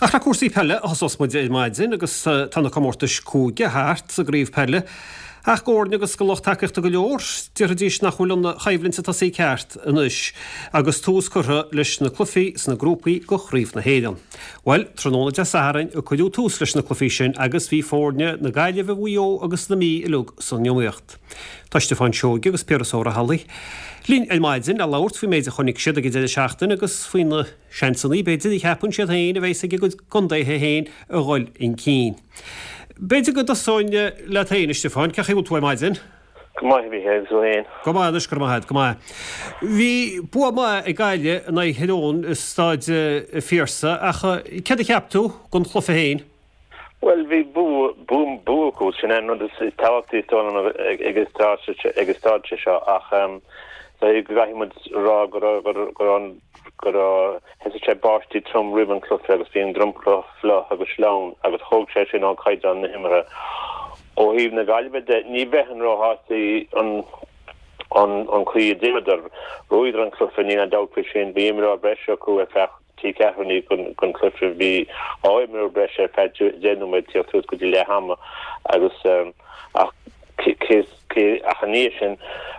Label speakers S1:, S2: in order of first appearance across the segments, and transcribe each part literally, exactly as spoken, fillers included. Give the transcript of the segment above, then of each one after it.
S1: Ach le cúrsaí peile a thosós muid ar maidin agus tá na comórtais cúige thart sa gcraobh peile. Ach d'fhoirne agus do lucht tacaíochta go leor, déarfaidís nach bhfuil an choimhlint ag tosaí ceart anois agus tús curtha leis na cluichí sna grúpaí do Chraobh na hÉireann. Bhuel, tráthnóna Dé Sathairn a cuireadh tús leis na cluichí sin agus bhí foirne na Gaillimhe, Mhaigh Eo agus na Mí uilig san iomaíocht. Tá Stiofán Seoige agus Piaras Ó Raghallaigh linn ar maidin le labhairt faoin méid a chonaic siad ag an deireadh seachtaine agus faoi na seansanna b'fhéidir a cheapann siad féin a bheas ag a gcuid contaetha féin a dhul chun cinn. B'fhéidir go dtosóinn leat féin, a Stiofáin, cén chaoi a bhfuil tú ar maidin?
S2: Go maith, a Mhícheáil, agus tú féin?
S1: Go maith anois, go raibh maith agat, go maith. Bhí bua maith ag Gaillimh in aghaidh Thír Eoghain i Staid an Phiarsaigh ach céard a cheap tú den chluiche féin?
S2: Bhuel, bhí bua, bua, bua acu, sin an rud is tábhachtaí is dóigh liom ag an stáitse seo ach go gcaithfidh muid rá go raibh, go raibh, go raibh, thosaigh sé báistí trom roimh an cluiche agus bhí an dromchla fliuch agus sleamhain agus thóg sé sin ó chaighdeán na himeartha. Ó thaobh na Gaillimhe de, ní bheinn róshásta an an an chaoi a d'imríodar. Bhuadar an cluiche, níl aon dabht faoi sin, bhí imreoir breise acu ar feadh trí ceathrúna den chluiche. Bhí dhá imreoir breise ar feadh deich nóiméad tíocht suas go dtí leath ama agus ach cé ach ina dhiaidh sin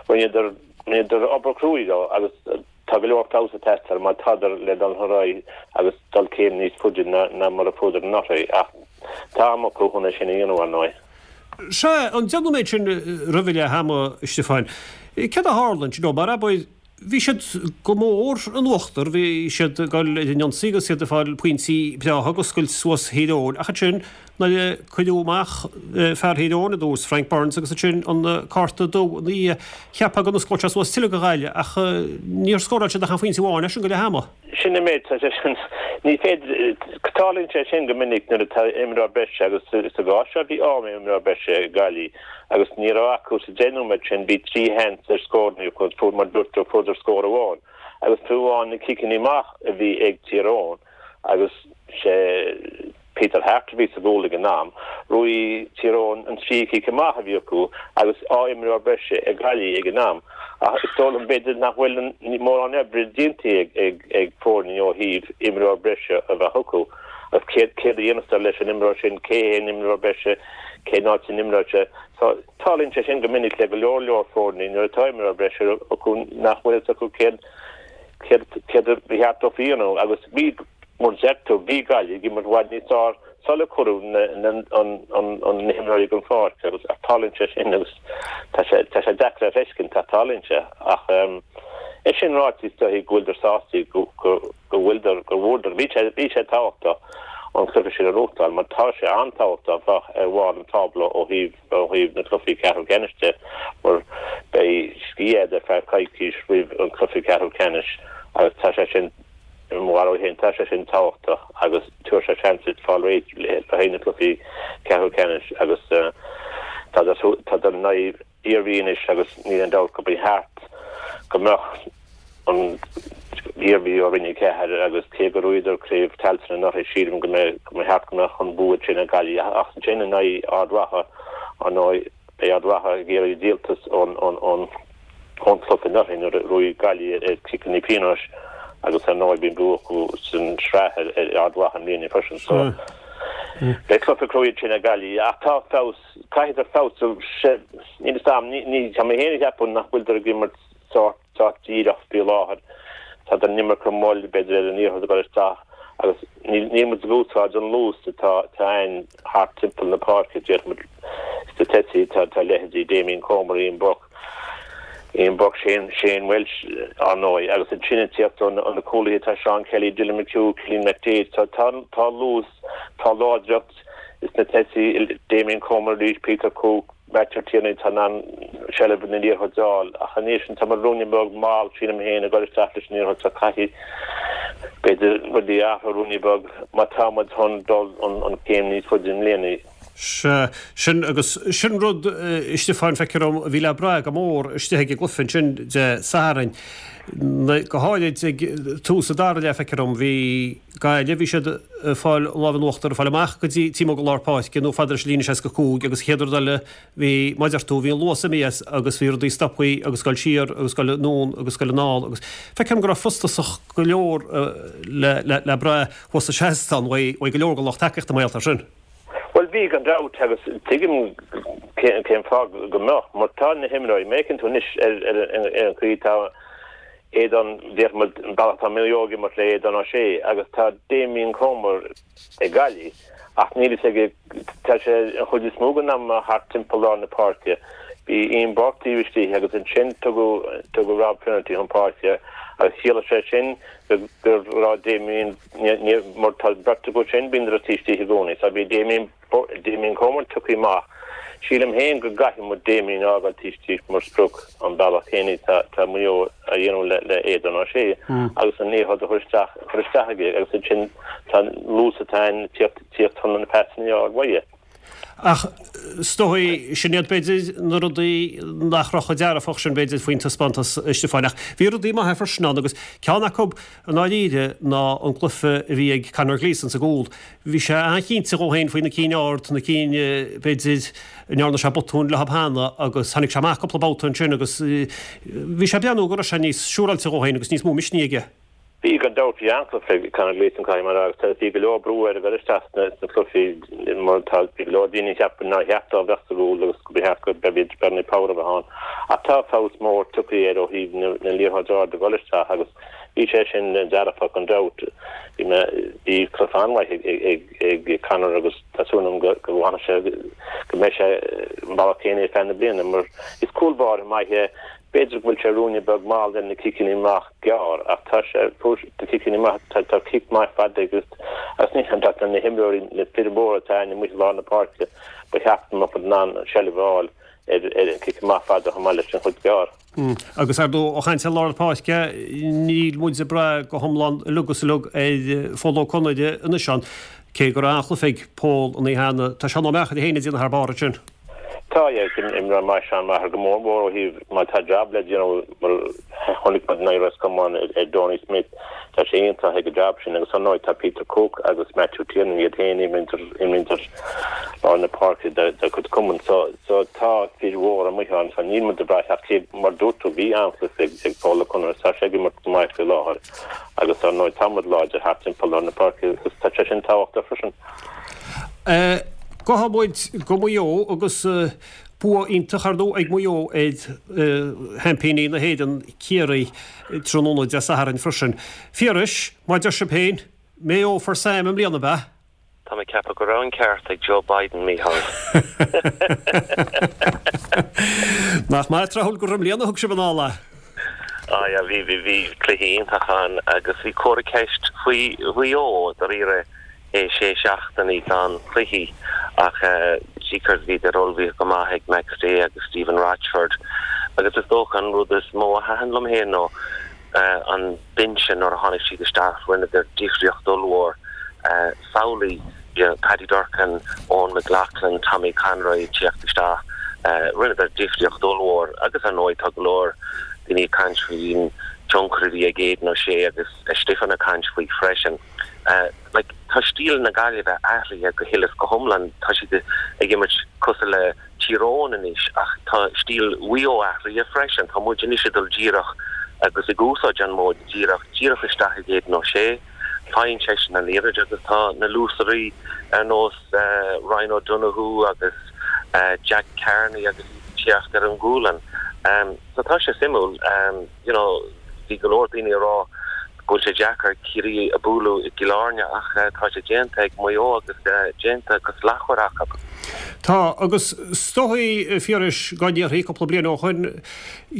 S2: rinneadar rinneadar obair chruaidh leo agus tá go leor feabhas ag teastáil má tádar le dul ar aghaidh agus dul céim níos faide ná mar a fuaireadar anuraidh ach tá am acu chun é sin a dhéanamh ar ndóigh.
S1: Sea, an deich nóiméad sin roimh leath ama, a Stiofáin, céard a tharla ansin? Mar abair, Bhí siad go mór in uachtar, bhí siad ag dul ar an ionsaí agus iad ag fáil pointí breátha agus scoilt suas Thír Eoghain ach ansin nuair a cuireadh amach fear Thír Eoghain ar dtús, Frank Burns, agus ansin an cárta dubh ina dhiaidh, cheapfá go n-osclódh sé suas tuilleadh do Ghaillimh ach níor scóráil siad ach an phointe amháin as sin go leath ama.
S2: Sin an méid, tá sé sin, ní féidir, tarlaíonn sé sin go minic nuair atá imreoir breise agus sa gcás seo bhí dhá imreoir breise ag Gaillimh agus ní raibh acu sa deich nóiméad sin, bhí trí sheans ar scóranna acu, fuair, mar dúirt tú, fuaireadar scór amháin agus fiú amháin na ciceanna amach a bhí ag Tír Eoghain agus sé Peter Harte a bhí sa gcúl ag an am, bhuaigh Tír Eoghain an trí chic amach a bhí acu agus dhá imreoir breise ag Gaillimh ag an am. Ach is dóigh liom b'fhéidir nach bhfuil mórán oibre déanta ag foirne ó thaobh imreoir breise a bheith acu. Agus céard a dhéanfas leis an imreoir sin, cé hé an imreoir breise, cén áit a n-imreoidh sé. So tarlaíonn sé sin go minic le go leor leor foirne nuair atá imreoir breise acu nach bhfuil fhios acu céard céard céard a ba cheart dóibh a dhéanamh agus bhí mar a deir tú bhí Gaillimh ag imirt i bhfad níos fearr sular cuireadh na na an an an na himreoirí den pháirc agus ach tarlaíonn sé sin agus tá sé tá sé deacair a threiscint ach tarlaíonn sé ach é sin ráite is dóigh go bhfuiltear sásta go go go bhfuiltear go bhfuaireadar bhí sé bhí sé tábhachtach an cluiche sin a ghnóthachtáil mar tá sé an-tábhachtach bheith ar bharr an tábla ó thaobh ó thaobh na cluichí ceathrú ceannais de mar beidh scíth agat ar feadh coicís roimh an cluiche ceathrú ceannais agus tá sé sin i mo bharúil féin tá sé sin tábhachtach agus tabharfaidh sé seans duit fáil réidh le haghaidh na cluichí ceathrú ceannais agus tá tá in aghaidh Iarmhí anois agus níl aon dabht go mba cheart go mbeadh an Iarmhí ó Roinn a Ceathair agus cé gur bhuadar Craobh Tailteann anuraidh sílim go mbeidh go mba cheart go mbeadh an bua sin ag Gaillimh ach ansin in aghaidh Ard Mhacha ar ndóigh beidh Ard Mhacha ag iarraidh díoltas ón ón ón ón cluiche anuraidh nuair a bhuaigh Gaillimh ar chiceanna pionóis agus ar ndóigh bhí an bua acu san sraith ar ar Ard Mhacha i mbliana freisin so beidh cluiche cruaidh ansin ag Gaillimh ach tá feabhas caithfidh feabhsú níl fhios a'm ní tá mé féin ag ceapadh nach bhfuiltear ag imirt sórt sórt díreach faoi láthair. Tá an iomarca moill b'fhéidir ar an liathróid ag dul isteach agus níl níl muid ag úsáid an luas atá atá ann thart timpeall na páirce déarfaidh muid sna tosaithe tá tá leithéidí Damien Comer, Ian Burke, Ian Burke, Shane Shane Walsh ar ndóigh agus ansin ag tíocht ó na cúlaithe tá Seán Kelly, Dylan McHugh, Cillian McDaid tá tá tá luas tá láidreacht sna tosaithe Damien Comer arís, Peter Cooke, Matthew Tierney tá in ann seilbh na liathróide a fháil ach anois an tá muid ruainne beag mall sílim féin ag dul isteach leis an liathróid so caithfidh b'fhéidir rudaí a athrú ruainne beag má tá muid chun dul an an céim níos faide i mbliana.
S1: Sea, sin agus sin rud, a Stiofáin, feictear dom, a bhí le brath go mór istigh ag an gcluiche ansin Dé Sathairn. Go háirid ag tús an dara leath, feictear dom, bhí Gaillimh, bhí siad ag fáil an lámh in uachtar, ag fáil amach go dtí taobh amuigh de lár páirce nó fada leis an líne seasca cúig agus an chéad rud eile bhí, mar a deir tú, bhí an luas imithe as agus bhí rudaí stoptha agus ag dul siar agus ag dul anonn agus ag dul anall agus feictear dom go raibh frustrachas go leor le brath thuas sa seastán uaidh go leor den lucht tacaíochta mar gheall air sin.
S2: Bhuel, bhí gan dabht agus tuigim cén fáth go mbeadh, mar tá na himreoirí, má fhéachann tú anois ar an chaoi tá Aidan, déarfaidh muid, an bealach atá Maigh Eo ag imirt le Aidan O'Shea agus tá Damien Comer ag Gaillimh ach níl fhios aige, tá sé an chuid is mó den am thart timpeall lár na páirce. Bhí Ian Burke taobh istigh agus ansin tugadh tugadh Rob Finnerty chun páirce agus chiallaigh sé sin go raibh Damien, mar tá beirt acu sin, bíonn taobh istigh i gcónaí. So bhí Damien, Damien Comer tugtha amach. Sílim féin go gcaithfidh muid Damien a fhágáil taobh istigh mar sprioc an bealach céanna atá tá Maigh Eo a dhéanamh le le Aidan O'Shea agus an liathróid a chur isteach chur isteach aige agus ansin tá luas atá ann tíocht tíocht chun na pasanna a fháil uaidh.
S1: Ach is dóigh, sin iad b'fhéidir na rudaí nach raibh chomh dearfach sin b'fhéidir faoin taispeántas, a Stiofáin. Ach bhí rudaí maithe freisin ann agus ceann acu i ndáiríre ná an cluiche a bhí ag Conor Gleeson sa gcúl. Bhí sé an-chinnte dhó féin faoi na cinn ard, na cinn b'fhéidir a ndearna sé botún leo cheana agus tháinig sé amach cúpla babhta ansin agus bhí sé ag breathnú go raibh sé níos siúráilte dhó féin agus níos mó misnigh aige.
S2: Bhí gan dabht, bhí an-chluiche ag Conor Gleeson, caithfidh mé a rá, agus bhí go leor brú air a dhul isteach sna cluichí mar tá bhí go leor daoine a cheap nár cheart dó a bheith sa gcúl agus go ba cheart go b'fhéidir Bernie Power a bheith ann. Ach tá feabhas mór tugtha air ó thaobh na liathróidí arda a dhul isteach agus bhí sé sin dearfach gan dabht. Bhí mé bhí cluiche an-mhaith ag ag Conor agus tá súil agam go go bhfanfaidh sé go mbeidh sé an bealach céanna ar feadh na bliana mar is cúl báire maith é. B'fhéidir go bhfuil sé ruainne beag mall ar na ciceanna amach gearr ach tá sé fuair na ciceanna amach tá tá cic maith fada agus agus ní an tá na himreoirí na fir mhóra atá ann amuigh i lár na páirce ba cheart go mbeadh in ann seilbh a fháil ar ar an cic amach fada chomh maith leis an chuid gearr.
S1: Agus ar ndóigh, ó chaint ar lár na páirce, níl muid ag brath go hiomlán uilig is uilig ar Phól Ó Conaire anois ann, cé go raibh an-chluiche ag Pól an oíche cheana. Tá Seán Ó Meachair féin ag déanamh thar barr ansin.
S2: Tá, yeah, imreoir maith Seán Maher go mór mór ó thaobh má tá jab le déanamh mar chonaic muid in aghaidh Ros Comáin ar Donie Smith, tá sé iontach ag an jab sin agus ar ndóigh tá Peter Cooke agus Matthew Tiernan iad féin imríonn ar lár na páirce dá gcuid cumann so so tá fir mhóra amuigh ann so níl muid ag brath ach cé mar dúirt tú bhí an-chluiche ag ag Pól Ó Conaire tá sé ag imirt go maith faoi láthair agus ar ndóigh tá muid láidir thart timpeall lár na páirce agus tá sé sin tábhachtach freisin.
S1: Gabhfaidh muid go Maigh Eo agus bua iontach ar ndóigh ag Maigh Eo ar sheaimpíní na hÉireann, Ciarraí, tráthnóna Dé Sathairn freisin. Phiarais, mar a deir sibh féin, Mayo for Sam i mbliana, ab ea?
S3: Tá mé ag ceapadh go raibh an ceart ag Joe Biden, Mícheál.
S1: Nach maith tráthúil gur i mbliana a thug sibh anall é?
S3: Ah yeah, bhí, bhí, bhí cluiche iontach ann agus bhí comhartha ceist faoi Mhaigh Eo, dáiríre. é sé seachtainí gan cluichí ach jeekers bhíodar ullmhaithe go maith ag McStay agus Stephen Rochford agus is dócha an rud is mó a thaitin liom féin nó an binse nuair a tháinig siad isteach rinneadar difríocht ollmhór. Samhlaigh Paddy Durcan, Eoghan McLaughlin, Tommy Conroy ag tíocht isteach, rinneadar difríocht ollmhór agus ar ndóigh tá go leor daoine ag caint faoin tionchar a bhí ag Aidan O'Shea agus Stiofán ag caint faoi freisin. Like, tá stíl na Gaillimhe athraithe go huile is go hiomlán. Tá siad ag imirt cosúil le Tír Eoghain anois ach tá stíl Mhaigh Eo athraithe freisin. Tá muid anois ag dul díreach agus ag úsáid an móid díreach, díreach isteach ag Aidan O'Shea. Faigheann seisean an liathróid agus tá na luasairí ar nós Ryan O'Donoghue agus Jack Carney agus iad ag tíocht ar an gcúlann. So tá sé suimiúil. You know, bhí go leor daoine ag rá go bhfuil sé deacair Ciarraí a bualadh i gCill Airne ach tá sé déanta ag Maigh Eo agus déanta go slachtmhar acu.
S1: Tá, agus is dóigh, a Phiarais, dá ndéarfaí cúpla bliain ó shoin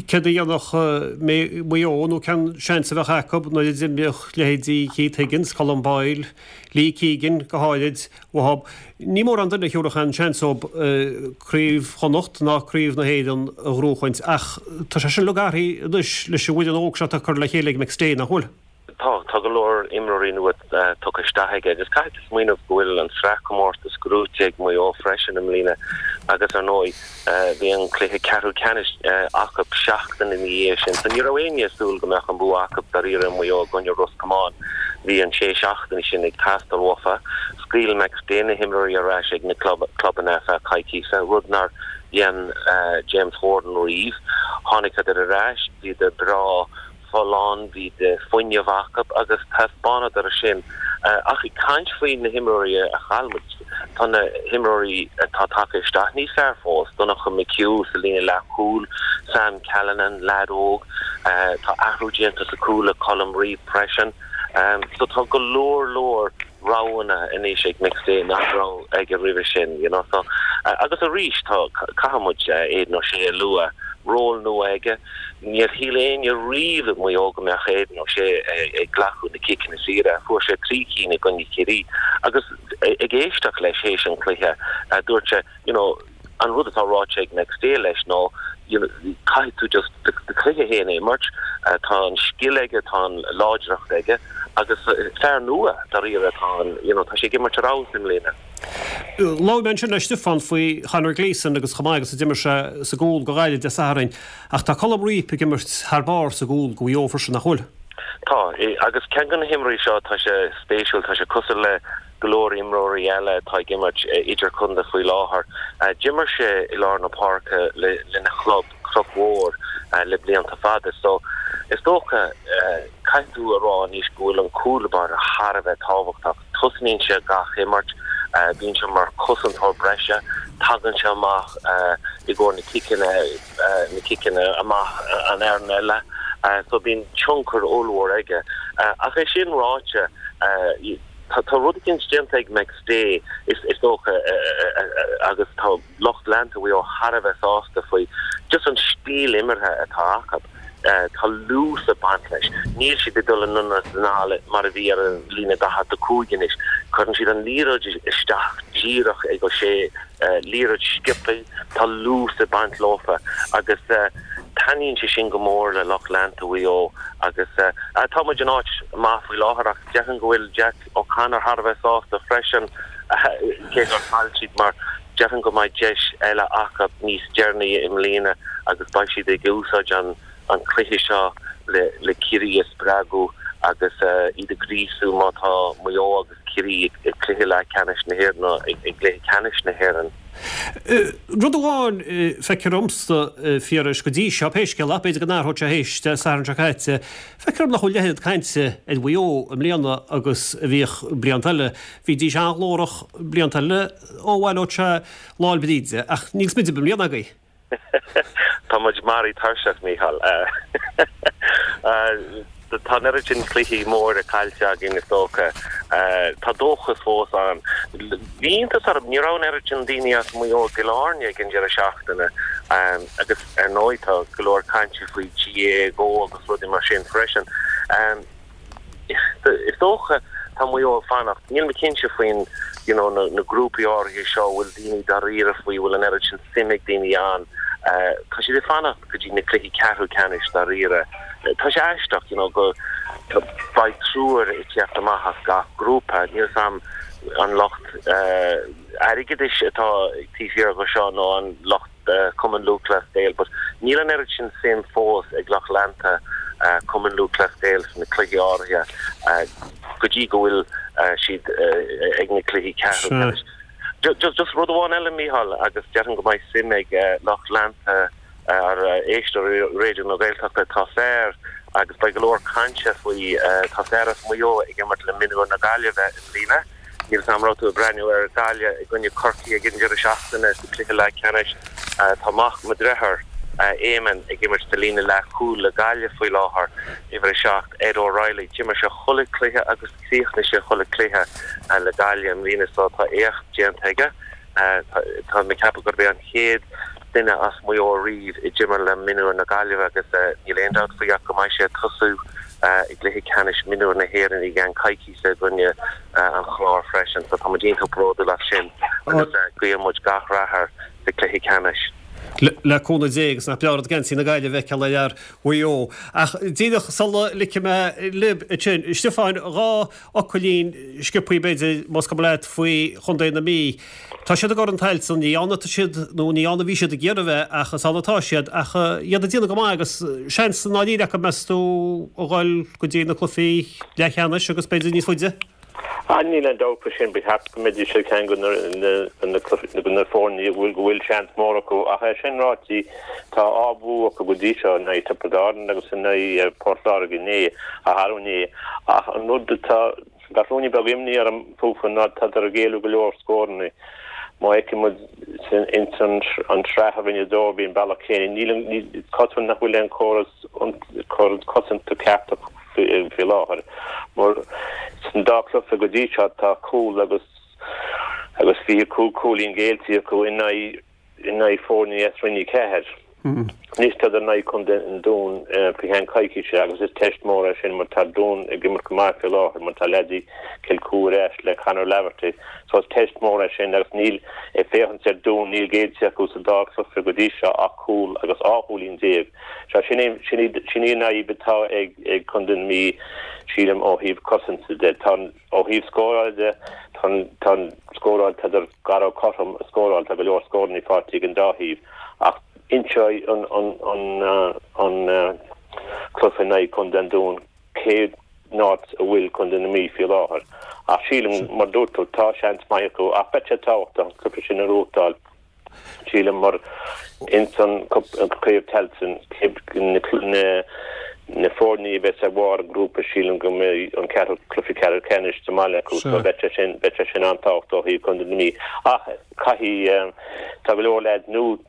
S1: céard a dhéanfadh Maigh Eo nó cén seans a bheadh acu nuair a d'imíodh leithéidí Keith Higgins, Colm Boyle, Lee Keegan go háirid, uathu. Ní mórán duine a thiúrfadh aon seans dóibh Craobh Chonnacht ná Craobh na hÉireann a ghnóchaint ach tá sé sin uilig athraithe anois leis an bhfoireann óg seo atá curtha le chéile ag McStay, nach bhfuil?
S3: Tá tá go leor imreoirí nua tugtha isteach aige agus caithfidh tú smaoineamh go bhfuil an sraithchomórtas gnóthaithe ag Maigh Eo freisin i mbliana agus ar ndóigh bhí an cluiche ceathrú ceannais acu seachtain ina dhiaidh sin. So ní raibh éinne ag súil go mbeadh an bua acu dáiríre Maigh Eo i gcoinne Ros Comáin. Bhí an sé seachtaine sin ag teastáil uafa. Scaoil McStay na himreoirí ar ais ag na clubanna ar feadh coicíse, rud nár dhein James Horan riamh. Tháinigeadar ar ais, bhíodar breá folláin, bhí de fuinneamh acu agus thaispeánadar sin. Ach ag caint faoi na himreoirí a chaill muid, tá na himreoirí atá tagtha isteach níos fearr fós, Donncha McHugh sa líne leathchúil, Sam Callinan, leaid óg, tá athrú déanta sa chúl le Colm Reape freisin. So tá go leor leor roghanna anois ag McStay nach raibh aige roimhe sin, you know. So, agus arís tá caithfidh muid Aidan O'Shea a lua, ról nua aige. Níor shíl éinne riamh i Maigh Eo go mbeadh Aidan O'Shea ag glacadh na ciceanna saora. Fuair sé trí cinn i gcoinne Chiarraí agus ag éisteacht leis théis an chluiche, dúirt sé, you know, an rud atá ráite ag McStay leis ná, you know, caithfidh tú just do chluiche féin a imirt. Tá an scil aige, tá an láidreacht aige agus fear nua dáiríre atá ann, you know, tá sé ag imirt ar fheabhas i mbliana.
S1: Labhair mé ansin le Stiofán faoi Chonor Gleeson agus chomh maith agus a d'imir sé sa gcúl do Ghaillimh Dé Sathairn ach tá Colm Reape ag imirt thar barr sa gcúl do Mhaigh Eo freisin, nach bhfuil?
S3: Tá, agus ceann de na himreoirí seo, tá sé spéisiúil, tá sé cosúil le go leor imreoirí eile atá ag imirt idirchontae faoi láthair. D'imir sé i lár na páirce lena chlub, Cnoc Mhór, le blianta fada so is dócha, caithfidh tú a rá anois go bhfuil an cúl báire thar a bheith tábhachtach. Tosnaíonn sé gach imirt, bíonn sé mar chosantóir breise, tagann sé amach i gcomhair na ciceanna, na ciceanna amach an fhoireann eile so bíonn tionchar ollmhór aige. Ach é sin ráite, tá rud eicínt déanta ag McStay is dócha agus tá lucht leanta Mhaigh Eo thar a bheith sásta faoi, just an stíl imeartha atá acu. Tá luas ag baint leis. Níl siad ag dul anonn is anall mar a bhí ar an líne daichead a cúig anois. Cuireann siad an liathróid isteach díreach ag O'Shea, liathróid sciobtha, tá luas ag baint leofa agus taitníonn sé sin go mór le lucht leanta Mhaigh Eo agus tá muid in áit maith faoi láthair ach déarfainn go bhfuil Jack O'Connor thar a bheith sásta freisin cé gur chaill siad mar déarfainn go mbeidh deis eile acu níos deireanaí i mbliana agus beidh siad ag úsáid an an cluiche seo le le Ciarraí a spreagadh agus iad a ghríosú má tá Maigh Eo agus Ciarraí ag cluiche leathcheannais na hÉireann nó ag gcluiche ceannais na hÉireann.
S1: Rud amháin, feictear domsa, Phiarais, go dtí seo, pé scéal é, b'fhéidir go n-athróidh sé théis Dé Sathairn seo caite, feictear dom nach bhfuil a leithéid cainte ar Mhaigh Eo i mbliana agus a bhíodh blianta eile. Bhídís an-ghlórach blianta eile ó bhaileodh sé Lá 'le Bríde, ach níl smideadh i mbliana agaibh.
S3: Tá muid maraithe tuirseach, Mícheál. Tá an oiread sin cluichí móra caillte againn, is dócha. Tá dóchas fós ann. Bhí iontas orm, ní raibh an oiread sin daoine as Maigh Eo i gCill Airne ag an deireadh seachtaine agus ar ndóigh tá go leor cainte faoi GAA Go agus rudaí mar sin freisin. Is dócha tá Maigh Eo ag fanacht. Níl mé cinnte faoin you know na grúpaí áirithe seo a bhfuil daoine dáiríre faoi, bhfuil an oiread sin suim ag daoine ann. Tá siad ag fanacht go dtí na cluichí ceathrú ceannais dáiríre. Tá sé aisteach you know go beidh triúr ag teacht amach as gach grúpa. Níl 'fhios a'm an lucht airgeadais atá taobh thiar de seo nó an lucht Cumann Lúthchleas Gael but níl an oiread sin suim fós ag lucht leanta Cumann Lúthchleas Gael sna cluichí áirithe go dtí go bhfuil siad ag na cluichí ceathrú ceannais. Just just rud amháin eile Mícheál agus déarfainn go mbeidh suim ag lucht leanta ar éisteoirí Raidió na Gaeltachta tá fear agus beidh go leor cainte faoi tá fear as Maigh Eo ag imirt le Mionúir na Gaillimhe i mbliana. Níl 'fhios a'm raibh tú ag breathnú ar Gaillimh i gcoinne Corcaí ag an deireadh seachtaine sa cluiche leathcheannais. Tá mac mo dhriotháir, Éamonn, ag imirt sa líne leathchúil le Gaillimh faoi láthair, uimhir a seacht, Ed O'Reilly. D'imir sé chuile chluiche agus chríochnaigh sé chuile chluiche le Gaillimh i mbliana so tá éacht déanta aige. Tá mé ag ceapadh gurb é an chéad duine as Maigh Eo ariamh a d'imir le Mionúir na Gaillimhe agus níl aon dabht faoi ach go mbeidh sé ag tosú i gcluiche ceannais Mionúir na hÉireann i gceann coicíse i gcoinne an Chláir freisin so tá muid iontach bródúil as sin agus guíonn muid gach rath air sa cluiche ceannais.
S1: Le cúnamh Dé agus nach breá an rud geansaí na Gaillimhe a fheiceáil ar fhear Mhaigh Eo. Ach díreach sula ligfidh mé libh ansin, a Stiofáin, dhá fhocailín sciobthaí b'fhéidir, más cuma leat, faoi chontae na Mí. Tá siad i gCorn Tailteann, ní ann atá siad, nó ní ann a bhí siad ag iarraidh a bheith, ach is ann atá siad, ach iad ag déanamh go maith agus seans i ndáiríre acu, meas tú, a dhul go dtí na cluichí leathcheannais agus b'fhéidir níos faide?
S2: Ah, níl aon dabht faoi sin, ba cheart go mbeidís ar cheann de na foirne a bhfuil go bhfuil seans mór acu ach é sin ráite tá dhá bhua acu go dtí seo in aghaidh Tiobraid Árann agus in aghaidh Port Láirge inné, arú inné ach an rud atá gach ruainne beag imní orm fúthu ná tádar ag géilleadh go leor scóranna. Má fheiceann muid ins an tsraith a rinneadar bhí an bealach céanna. Níl an, is cosúil nach bhfuil aon chóras, córas cosanta ceart acu faoi láthair. Mar san dá chluiche go dtí seo tá cúl agus agus fiche cúig cúilín géillte acu in aghaidh in aghaidh foirne as Roinn a Ceathair. Anois tádar in aghaidh Contae an Dúin faoi cheann coicíse agus is teist mór é sin mar tá Dún ag imirt go maith faoi láthair mar tá leaidí Chill Chua ar ais le Conor Laverty so is teist mór é sin agus níl, ag féachaint ar Dún, níl géillte acu sa dá chluiche go dtí seo ach cúl agus dhá chúilín déag. So sin é, sin í, sin í an fhadhb atá ag, ag Contae na Mí sílim ó thaobh cosanta de. Tá an, ó thaobh scóráil de, tá an, tá an scóráil, tádar gar do cothrom a scóráil, tá go leor scóranna faighte ag an dá thaobh ach Inseoidh an cluiche in aghaidh Chontae an Dúin cén áit a bhfuil Contae na Mí faoi láthair. Ach sílim, mar dúirt tú, tá seans maith acu ach beidh sé tábhachtach an cluiche sin a ghnóthachtáil, sílim, mar ins an Craobh Tailteann, na foirne a bheas ar bharr an ghrúpa, sílim go mbeidh an ceathrú cluiche ceathrú ceannais sa mbaile acu so beidh sé sin, beidh sé sin an-tábhachtach ó thaobh Chontae na Mí. Ach caithfidh, tá go leor leaids nua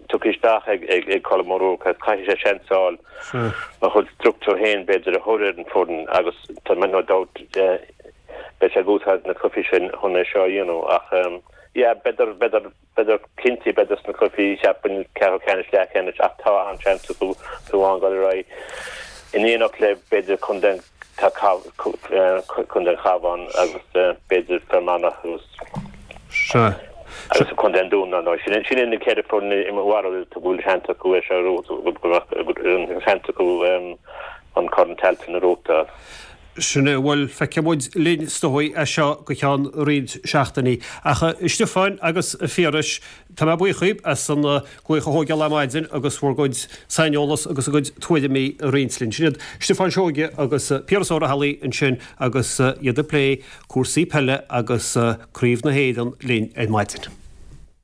S2: tugtha isteach ag Colm O'Rourke agus caithfidh sé seans a fháil a chuid struchtúr féin b'fhéidir a chur ar an bhfoireann agus tá mé no doubt beidh sé ag úsáid na cluichí sin chun é seo a dhéanamh ach yeah b'fhéidir b'fhéidir b'fhéidir cinnte b'fhéidir sna cluichí cheapfainn ceathrú ceannais leathcheannais ach tá an-seans acu fiú amháin dul ar aghaidh in éineacht le b'fhéidir contae Tá Contae an Chabháin agus b'fhéidir Fear Manach agus
S1: Sea.
S2: agus Contae an Dúin, ar ndóigh. Sin sin iad na ceithre foireann i mo bharúil go bhfuil seans acu é seo a go bhfuil seans acu an Corn Tailteann a ghnóthachtáil.
S1: Sin é, bhuel, feicfidh muid linn is dóigh é seo go ceann roinnt seachtainí. Ach a Stiofáin agus a Phiarais, tá mé buíoch dhaoib as an glaoch a thógáil ar maidin agus bhur gcuid saineolas agus a gcuid tuairimí a roinnt linn. Sin iad Stiofán Seoige agus Piaras Ó Raghallaigh ansin agus iad ag plé cúrsaí peile agus Craobh na hÉireann linn ar maidin.